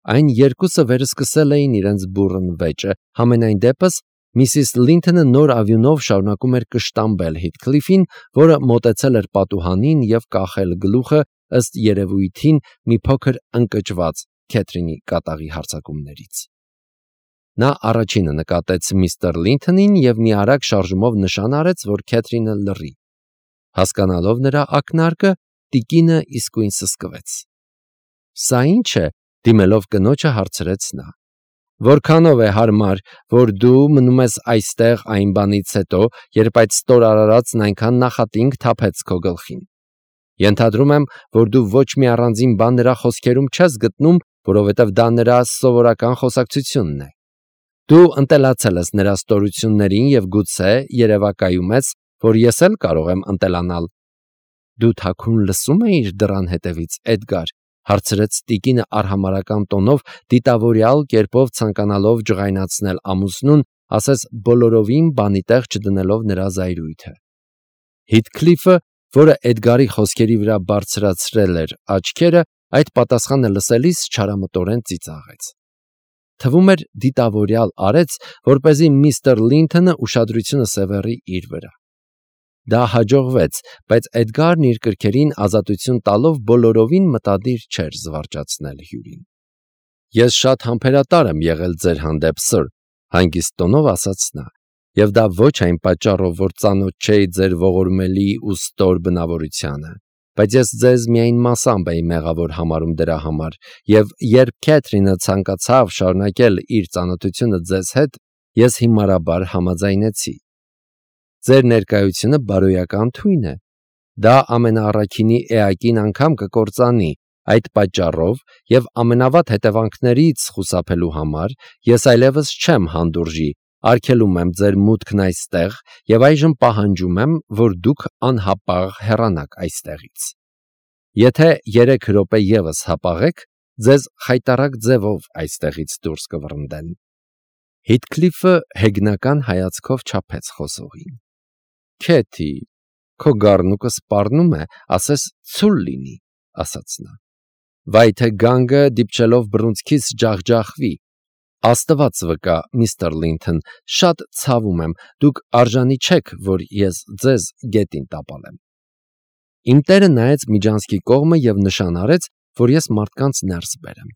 Այն երկուսը վերսկսել էին իրենց բուռն վեճը, համենայն դեպս Միսիս Լինթոնը նոր ավյունով շարունակում էր կշտամբել Հիթքլիֆին, որը մոտեցել էր պատուհանին և կախել գլուխը ըստ երևույթին մի փոքր ընկճված Քեթրինի կատաղի հարձակումներից։ Նա առաջինը նկատեց միստր Լինթոնին և մի արագ շարժումով նշան արեց, որ Քեթրինը լռի։ Հասկանալով նրա ակնարկը, տիկինը իսկույն սսկվեց։ «Սա ի՞նչ է», դիմելով կնոջը հարցրեց նա։ «Որքանով է հարմար, որ դու մնում ես այստեղ այն բանից հետո, երբ այդ ստոր արարածն այնքան նախատինք թափեց քո գլխին։ Ենթադրում եմ, որ դու ոչ մի առանձին բան նրա խոսքերում չես գտնում, որովհետև դա նրա սովորական խոսակցությունն է։ Դու ընտելացել ես նրա ստորություններին և գուցե երևակայում ես, որ ես էլ կարող եմ ընտելանալ»։ «Դու թաքուն լսում էիր դռան հետևից, Էդգար», հարցրեց տիկինը արհամարհական տոնով, դիտավորյալ կերպով ցանկանալով ջղայնացնել ամուսնուն, ասես բոլորովին բանի տեղ չդնելով նրա զայրույթը։ Հիթքլիֆը, որը Էդգարի խոսքերի վրա բարձրացրել էր աչքերը, այդ պատասխանը լսելիս չարամտորեն ծիծաղեց։ Թվում էր դիտավորյալ արեց, որպեսզի միստր Լինթոնը ուշադրությունը սևեռի իր վրա։ Դա հաջողվեց, բայց Էդգարն իր կրքերին ազատություն տալով բոլորովին մտադիր չէր զվարճացնել հյուրին։ «Ես շատ համբերատար եմ եղել ձեր հանդեպ, սըր», հանգիստ տոնով ասաց նա, «և դա ոչ այն պատճառով, որ ծանոթ չէի ձեր ողորմելի ու ստոր բնավորությանը, բայց ես ձեզ միայն մասամբ էի մեղավոր համարում դրա համար, և երբ Քեթրինը ցանկացավ շարունակել իր ծանոթությունը ձեզ հետ, ես հիմարաբար համաձայնեցի։ Ձեր ներկայությունը բարոյական թույն է։ Դա ամենաառաքինի էակին անգամ կկործանի, այդ պատճառով և ամենավատ հետևանքներից խուսափելու համար ես այլևս չեմ հանդուրժի, արգելում եմ ձեր մուտքն այստեղ և այժմ պահանջում եմ, որ դուք անհապաղ հեռանաք այստեղից։ Եթե 3 րոպե ևս հապաղեք, ձեզ խայտառակ ձևով այստեղից դուրս կվռնդեն»։ Հիթքլիֆը հեգնական հայացքով չափեց խոսողին։ «Քեթի, քո գառնուկը սպառնում է, ասես ցուլ լինի», ասաց նա։ «Վայ թե գանգը դիպչելով բռունցքիս ջախջախվի։ Աստված վկա, միստր Լինթոն, շատ ցավում եմ, դուք արժանի չեք, որ ես ձեզ գետին տապալեմ»։ Իմ տերը նայեց միջանցքի կողմը և նշան արեց, որ ես մարդկանց ներս բերեմ։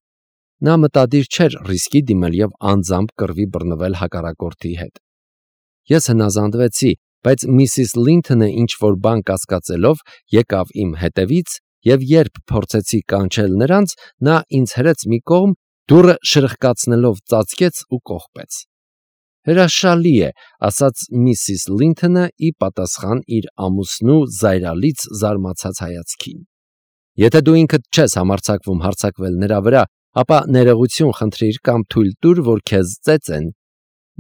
Նա մտադիր չէր ռիսկի դիմել և անձամբ կռվի բռնվել հակառակորդի հետ։ Ես հնազանդվեցի, բայց միսիս Լինթոնը ինչ-որ բան կասկածելով եկավ իմ հետևից, և երբ փորձեցի կանչել նրանց, նա ինձ հրեց մի կողմ, դուռը շրխկացնելով ծածկեց ու կողպեց։ «Հրաշալի է», ասաց միսիս Լինթոնը ի պատասխան իր ամուսնու զայրալից զարմացած հայացքին։ «Եթե դու ինքդ չես համարձակվում հարձակվել նրա վրա, ապա ներողություն խնդրիր կամ թույլ տուր, որ քեզ ծեծեն։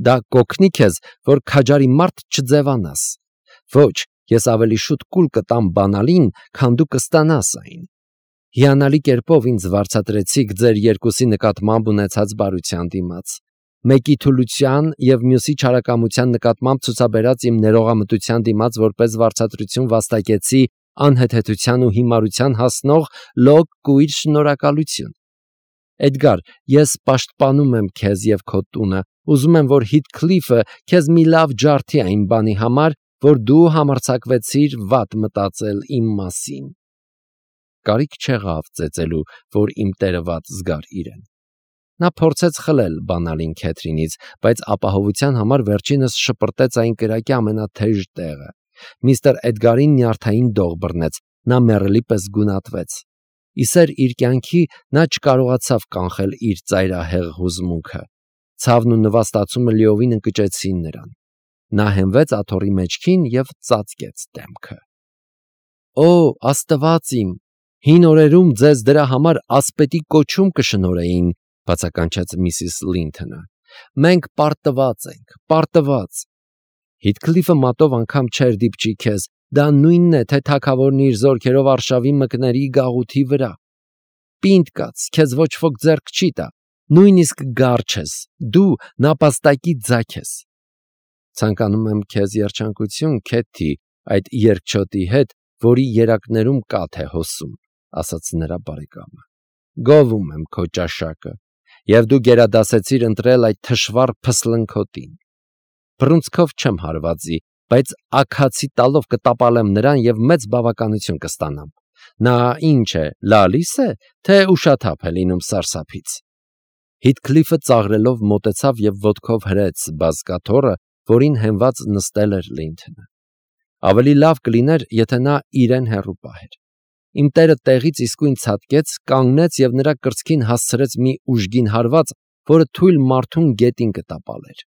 Դա կօգնի քեզ, որ քաջարի մարդ չձևանաս։ Ոչ, ես ավելի շուտ կուլ կտամ բանալին, քան դու կստանաս այն։ Հիանալի կերպով ինձ վարձատրեցիք ձեր երկուսի նկատմամբ ունեցած բարության դիմաց։ Մեկի թուլության և մյուսի չարակամության նկատմամբ ցուցաբերած իմ ներողամտության դիմաց որպես վարձատրություն վաստակեցի անհեթեթության ու հիմարության հասնող լոկ կույր շնորհակալություն։ Էդգար, ես պաշտպանում եմ քեզ և քո տունը, ուզում եմ, որ Հիթքլիֆը քեզ մի լավ ջարդի այն բանի համար, որ դու համարձակվեցիր վատ մտածել իմ մասին։ Կարիք չեղավ ծեծելու, որ իմ տերը վատ զգար իրեն։ Նա փորձեց խլել բանալին Քեթրինից, բայց ապահովության համար վերջինս շպրտեց այն կրակի ամենաթեժ տեղը։ Միստր Էդգարին նյարդային դող բռնեց, նա մեռելի պես գունատվեց։ Իսեր իր կյանքի նա չկարողացավ կանխել իր ծայրահեղ հուզմունքը։ Ցավն ու նվաստացումը լիովին ընկճեցին նրան։ Նա հենվեց աթոռի մեջքին և ծածկեց դեմքը։ «Օ, Աստված իմ, հին օրերում ձեզ դրա համար ասպետի կոչում կշնորհեին», բացականչեց միսիս Լինթոնը։ «Մենք պարտված ենք, պարտված»։ Հիթքլիֆը մատով անգամ չէր դիպչի քեզ, դա նույնն է, թե թագավորն իր զորքերով արշավի մկների գաղութի վրա։ Պինդ կաց, քեզ ոչ ոք ձեռք չի տա, նույնիսկ գառ չես, դու նապաստակի ձագ ես։ Ցանկանում եմ քեզ երջանկություն, Քեթի, այդ երկչոտի հետ, որի երակներում կաթ է հոսում, ասաց նրա բարեկամը։ Գովում եմ քո ճաշակը։ եւ դու գերադասեցիր ընտրել այդ թշվառ փսլնքոտին։ Բռունցքով չեմ հարվածի, բայց աքացի տալով կտապալեմ նրան եւ մեծ բավականություն կստանամ։ Նա ինչ է, լալիս է, թե ուշաթափ է լինում սարսափից։ Հիթքլիֆը ծաղրելով մոտեցավ եւ ոտքով հրեց բազկաթոռը, որին հենված նստել էր Լինթոնը։ Ավելի լավ կլիներ, եթե նա իրեն հեռու պահեր։ Իմ տերը տեղից իսկույն ցատկեց, կանգնեց եւ նրա կրծքին հասցրեց մի ուժգին հարված, որը թույլ մարդուն գետին կտապալեր։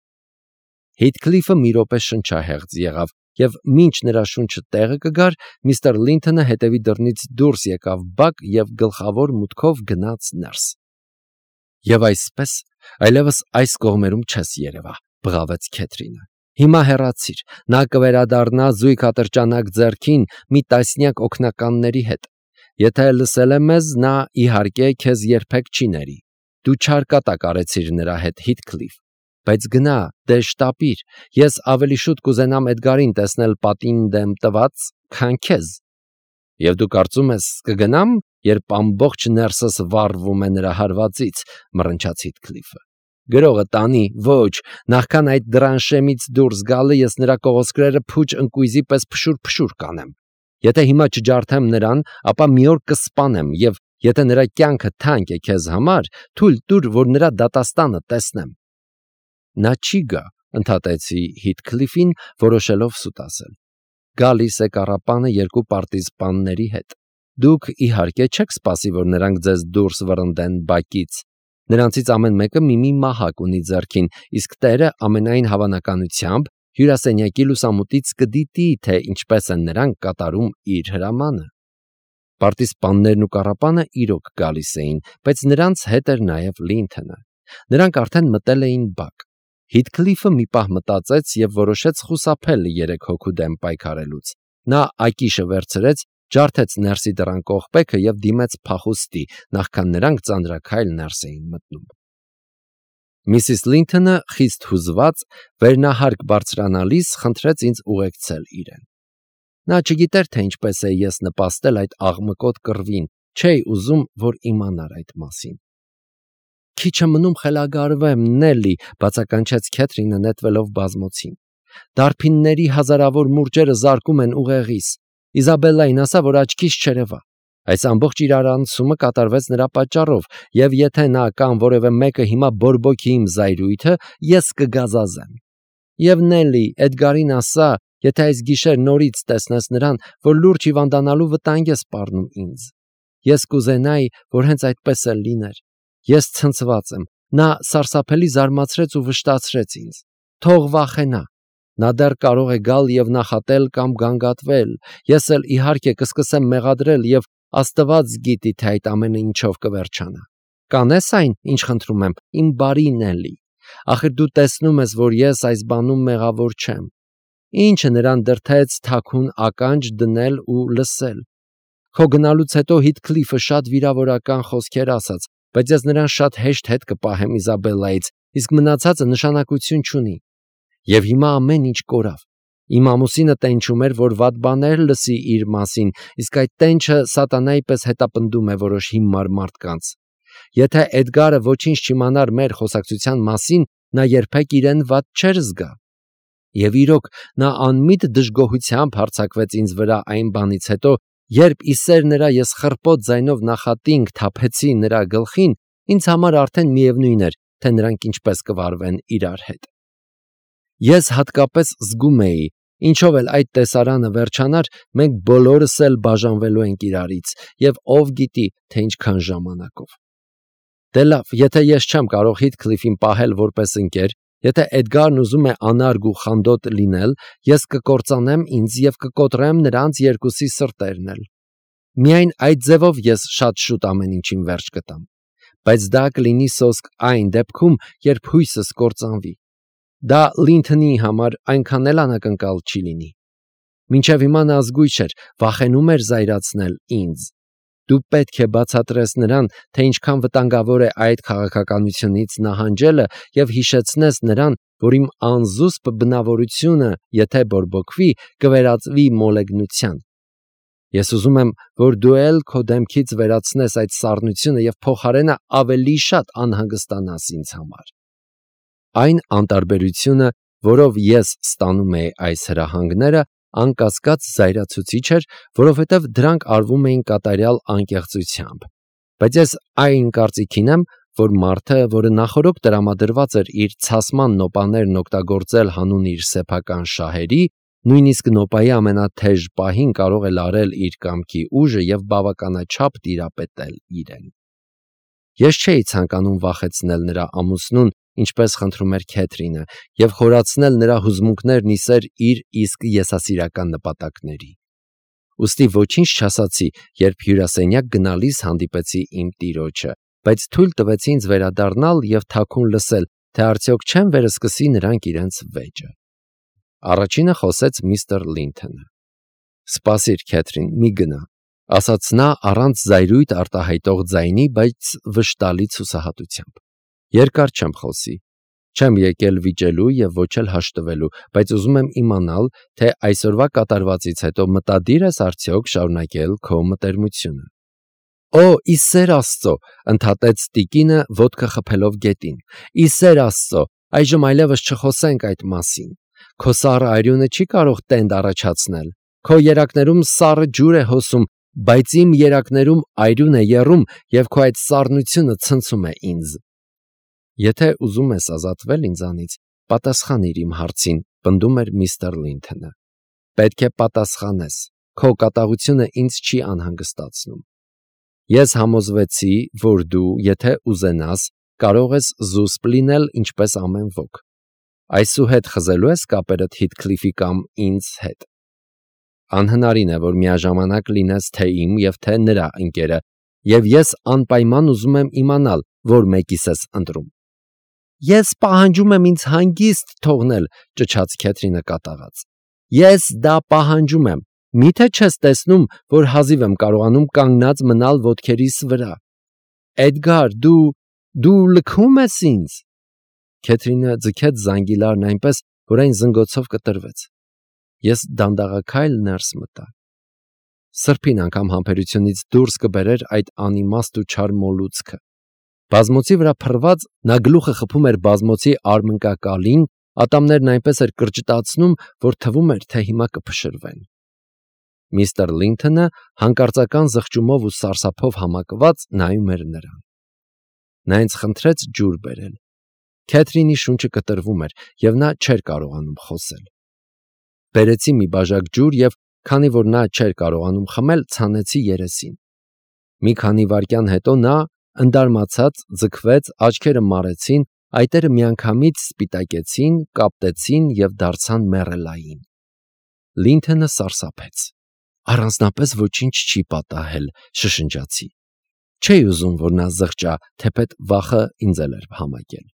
Հիթքլիֆը մի րոպե շնչահեղձ եղավ եւ մինչ նրա շունչը տեղը կգար, միստր Լինթոնը հետևի դռնից դուրս եկավ բակ եւ գլխավոր մուտքով գնաց ներս։ Եվ այսպես այլևս այս կողմերում չես երևա, բղավեց Քեթրինը։ Հիմա հեռացիր, նա կվերադառնա զույգ ատրճանակ ձեռքին մի տասնյակ օգնականների հետ։ Եթե լսել է մեզ, նա իհարկե քեզ երբեք չի ների։ Դու չարկատակ արեցիր նրա հետ, Հիթքլիֆ, բայց գնա, դե շտապիր, ես ավելի շուտ կուզենամ Էդգարին տեսնել պատին դեմ տված, քան քեզ։ Եվ դու կարծում ես կգնամ, երբ ամբողջ ներսս վառվում է նրա հարվածից, մռնչաց Հիթքլիֆը։ Գրողը տանի, ոչ, նախքան այդ դրանշեմից դուրս գալը ես նրա կողոսկրերը փուչ ընկույզի պես փշուր կանեմ։ Եթե հիմա չջարդեմ նրան, ապա մի օր կսպանեմ եւ եթե նրա կյանքը թանկ է քեզ համար, թույլ տուր, որ նրա դատաստանը տեսնեմ։ Նա չի գա, ընդհատեցի Հիթքլիֆին, որոշելով սուտ ասել։ Գալիս է կառապանը երկու պարտիզպանների հետ։ Դուք իհարկե չեք սպասի, որ նրանք ձեզ դուրս վռնդեն բակից։ Նրանցից ամեն մեկը մի մահակ ունի ձեռքին, իսկ տերը ամենայն հավանականությամբ հյուրասենյակի լուսամուտից կդիտի, թե ինչպես են նրանք կատարում իր հրամանը։ Պարտիզպաններն ու կառապանը իրոք գալիս էին, բայց նրանց հետ էր նաև Լինթոնը։ Նրանք արդեն մտել էին բակ։ Հիթքլիֆը մի պահ մտածեց եւ որոշեց խուսափել 3 հոգու դեմ պայքարելուց։ Նա ակիշը վերցրեց, ջարդեց ներսի դռան կողպեքը եւ դիմեց փախուստի, նախքան նրանք ծանրաքայլ ներս էին մտնում։ Միսիս Լինթոնը խիստ հուզված վերնահարկ բարձրանալիս խնդրեց ինձ ուղեկցել իրեն։ Նա չգիտեր, թե ինչպես է ես նպաստել այդ աղմկոտ կռվին, չէի ուզում, որ իմանար այդ մասին։ Քիչը մնում խելագարվեմ, Նելի, բացականչեց Քեթրինը նետվելով բազմոցին։ Դարբինների հազարավոր մուրճերը զարկում են ուղեղիս։ Իզաբելլային ասա, որ աչքիս չերևա։ Այս ամբողջ իրարանցումը կատարվեց նրա պատճառով, եւ եթե նա կամ որևէ մեկը հիմա բորբոքի իմ զայրույթը, ես կգազազեմ։ Եվ Նելի, Էդգարին ասա, եթե այս գիշեր նորից տեսնես նրան, որ լուրջ հիվանդանալու վտանգ է սպառնում ինձ։ Ես կուզենայի, որ հենց այդպես էլ լիներ։ Ես ցնցված եմ։ Նա սարսափելի զարմացրեց ու վշտացրեց ինձ։ Թող վախենա։ Նա դեռ կարող է գալ եւ նախատել կամ գանգատվել։ Ես էլ իհարկե կսկսեմ մեղադրել եւ Աստված գիտի, թե այդ ամենը ինչով կվերջանա։ Կանես այն, ինչ խնդրում եմ, իմ բարի Նելի։ Ախր դու տեսնում ես, որ ես այս բանում մեղավոր չեմ։ Ինչը նրան դրթեց թաքուն ականջ դնել ու լսել։ Քո գնալուց հետո Հիթքլիֆը շատ վիրավորական խոսքեր ասաց, բայց ես նրան շատ հեշտ հետ կպահեմ Իզաբելլայից, իսկ մնացածը նշանակություն չունի։ Եվ հիմա ամեն ինչ կորավ։ Իմ ամուսինը տենչում էր, որ վատ բաներ լսի իր մասին, իսկ այդ տենչը սատանայի պես հետապնդում է որոշ հիմար մարդկանց։ Եթե Էդգարը ոչինչ չիմանար մեր խոսակցության մասին, նա երբեք իրեն վատ չէր զգա։ Եվ իրոք, նա անմիտ դժգոհությամբ հարձակվեց ինձ վրա այն բանից հետո, երբ իսեր նրա ես խռպոտ ձայնով նախատինք թափեցի նրա գլխին, ինձ համար արդեն միևնույն էր, թե նրանք ինչպես կվարվեն իրար հետ։ Ես հատկապես զգում էի, ինչով էլ այդ տեսարանը վերջանար, մենք բոլորս էլ բաժանվելու ենք իրարից, եւ ով գիտի, թե ինչքան ժամանակով։ Դե լավ, եթե ես չեմ կարող Հիթքլիֆին պահել որպես ընկեր, եթե Էդգարն ուզում է անարգ ու խանդոտ լինել, ես կկործանեմ ինձ եւ կկոտրեմ նրանց երկուսի սրտերն էլ։ Միայն այդ ձևով ես շատ շուտ ամեն ինչին վերջ կտամ։ Բայց դա կլինի սոսկ այն դեպքում, երբ հույսս կործանվի։ Դա Լինթոնի համար այնքան էլ անակնկալ չի լինի։ Մինչև հիմա նա զգույշ էր, վախենում էր զայրացնել ինձ։ Դու պետք է բացատրես նրան, թե ինչքան վտանգավոր է այդ քաղաքականությունից նահանջելը եւ հիշեցնես նրան, որ իմ անզուսպ բնավորությունը, եթե բորբոքվի, կվերածվի մոլեգնության։ Ես ուզում եմ, որ դու էլ քո դեմքից վերացնես այդ սառնությունը և փոխարենը ավելի շատ անհանգստանաս ինձ համար։ Այն անտարբերությունը, որով ես ստանում էի այս հրահանգները, անկասկած զայրացուցիչ էր, որովհետև դրանք արվում էին կատարյալ անկեղծությամբ։ Բայց ես այն կարծիքին եմ, որ մարդը, որը նախօրոք տրամադրված էր իր ցասման նոպաներն օգտագործել հանուն իր սեփական շահերի, նույնիսկ նոպայի ամենաթեժ պահին կարող է լարել իր կամքի ուժը և բավականաչափ տիրապետել իրեն։ Ես չէի ցանկանում վախեցնել նրա ամուսնուն, ինչպես խնդրում էր Քեթրինը, և խորացնել նրա հուզմունքներն ի սեր իր իսկ եսասիրական նպատակների։ Ուստի ոչինչ չասացի, երբ հյուրասենյակ գնալիս հանդիպեցի իմ տիրոջը, բայց թույլ տվեցի ինձ վերադառնալ և թաքուն լսել, թե արդյոք չեն վերսկսի նրանք իրենց վեճը։ Առաջինը խոսեց միստր Լինթոնը։ «Սպասիր, Քեթրին, մի գնա», ասաց նա առանց զայրույթ արտահայտող ձայնի, բայց վշտալից հուսահատությամբ։ «Երկար չեմ խոսի։ Չեմ եկել վիճելու և ոչ էլ հաշտվելու, բայց ուզում եմ իմանալ, թե այսօրվա կատարվածից հետո մտադիր ես արդյոք շարունակել քո մտերմությունը»։ «Օ, ի սեր Աստծո», ընդհատեց տիկինը, ոտքը խփելով գետին։ «Ի սեր Աստծո, այժմ այլևս չխոսենք այդ մասին։ Քո սառը արյունը չի կարող տենդ առաջացնել։ Քո երակներում սառը ջուր է հոսում, բայց իմ երակներում արյուն է եռում, և քո այդ սառնությունը ցնցում է ինձ»։ «Եթե ուզում ես ազատվել ինձանից, պատասխանիր իմ հարցին», պնդում էր միստր Լինթոնը։ «Պետք է պատասխանես։ Քո կատաղությունը ինձ չի անհանգստացնում։ Ես համոզվեցի, որ դու, եթե ուզենաս, կարող ես զուսպ լինել ինչպես ամեն ոք։ Այսուհետ խզելու ես կապերդ Հիթքլիֆի կամ ինձ հետ։ Անհնարին է, որ միաժամանակ լինես թե իմ և թե նրա ընկերը, և ես անպայման ուզում եմ իմանալ, որ մեկիս ես ընտրում»։ «Ես պահանջում եմ ինձ հանգիստ թողնել», ճչաց Քեթրինը կատաղած։ «Ես դա պահանջում եմ։ Մի՞թե չես տեսնում, որ հազիվ եմ կարողանում կանգնած մնալ ոտքերիս վրա։ Էդգար, դու լքում ես ինձ»։ Քեթրինը ձգեց զանգիլարն այնպես, որ այն զնգոցով կտրվեց։ Ես դանդաղաքայլ ներս մտա։ Սրբին անգամ համբերությունից դուրս կբերեր այդ անիմաստ ու չար մոլուցքը։ Բազմոցի վրա փռված նա գլուխը խփում էր բազմոցի արմնկակալին, ատամներն այնպես էր կրճտացնում, որ թվում էր, թե հիմա կփշրվեն։ Միստր Լինթոնը հանկարծական զղջումով ու սարսափով համակված նայում էր նրան։ Նա ինձ խնդրեց ջուր բերել։ Քեթրինի շունչը կտրվում էր, և նա չէր կարողանում խոսել։ Բերեցի մի բաժակ ջուր և, քանի որ նա չէր կարողանում խմել, ցանեցի երեսին։ Մի քանի վայրկյան հետո նա, ընդարմացած, ձգվեց, աչքերը մարեցին, այտերը միանգամից սպիտակեցին, կապտեցին և դարձան մեռելային։ Լինթոնը սարսափեց։ «Առանձնապես ոչինչ չի պատահել», շշնջացի։ Չէի ուզում, որ նա զղջա, թեպետ վախը ինձ էլ էր համակել։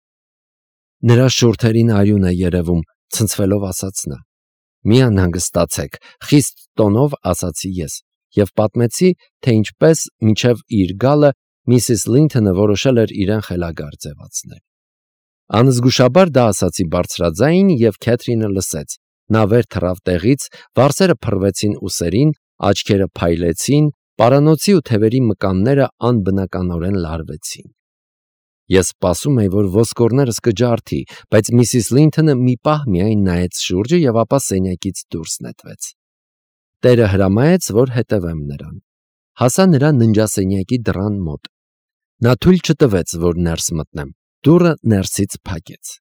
«Նրա շուրթերին արյուն է երևում», ցնցվելով ասաց նա։ «Մի անհանգստացեք», խիստ տոնով ասացի ես և պատմեցի, թե ինչպես մինչև իր գալը միսիս Լինթոնը որոշել էր իրեն խելագար ձևացնել։ Անզգուշաբար դա ասացի բարձրաձայն, և Քեթրինը լսեց։ Նա վեր թռավ տեղից, վարսերը փռվեցին ուսերին, աչքերը փայլեցին, պարանոցի ու թևերի մկանները անբնականորեն լարվեցին։ Ես սպասում էի, որ ոսկորներս կջարդի, բայց միսիս Լինթոնը մի պահ միայն նայեց շուրջը և ապա սենյակից դուրս նետվեց։ Տերը հրամայեց, որ հետևեմ նրան։ Հասա նրա ննջասենյակի դռան մոտ։ Նա թույլ չտվեց, որ ներս մտնեմ։ Դուռը ներսից փակեց։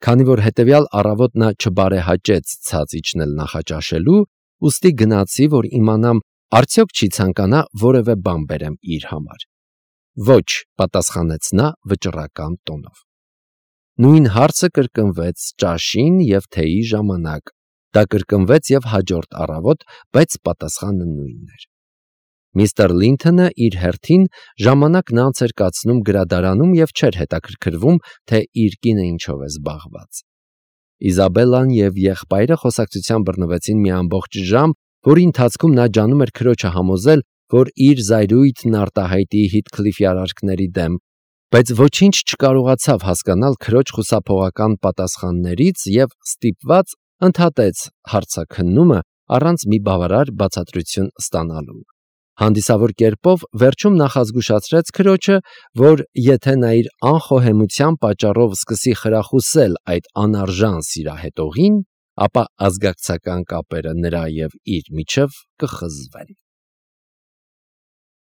Քանի որ հետևյալ առավոտ նա չբարեհաճեց ցած իջնել նախաճաշելու, ուստի գնացի, որ իմանամ, արդյոք չի ցանկանա որևէ բան բերեմ իր համար։ «Ոչ», պատասխանեց նա վճռական տոնով։ Նույն հարցը կրկնվեց ճաշին և թեյի ժամանակ։ Դա կրկնվեց և հաջորդ առավոտ, բայց պատասխանը նույնն էր։ Միստր Լինթոնը իր հերթին ժամանակն անց էր կացնում գրադարանում և չէր հետաքրքրվում, թե իր կինը ինչով է զբաղված։ Իզաբելլան և եղբայրը խոսակցության բռնվեցին մի ամբողջ ժամ, որի ընթացքում նա ջանում էր քրոջը համոզել, որ իր զայրույթն արտահայտի Հիթքլիֆի արարքների դեմ, բայց ոչինչ չկարողացավ հասկանալ քրոջ խուսափողական պատասխաններից և ստիպված ընդհատեց հարցաքննումը, առանց մի բավարար բացատրություն ստանալու։ Հանդիսավոր կերպով վերջում նախազգուշացրեց քրոջը, որ եթե նա իր անխոհեմության պատճառով սկսի խրախուսել այդ անարժան սիրահետողին, ապա ազգակցական կապերը նրա և իր միջև կխզվեն։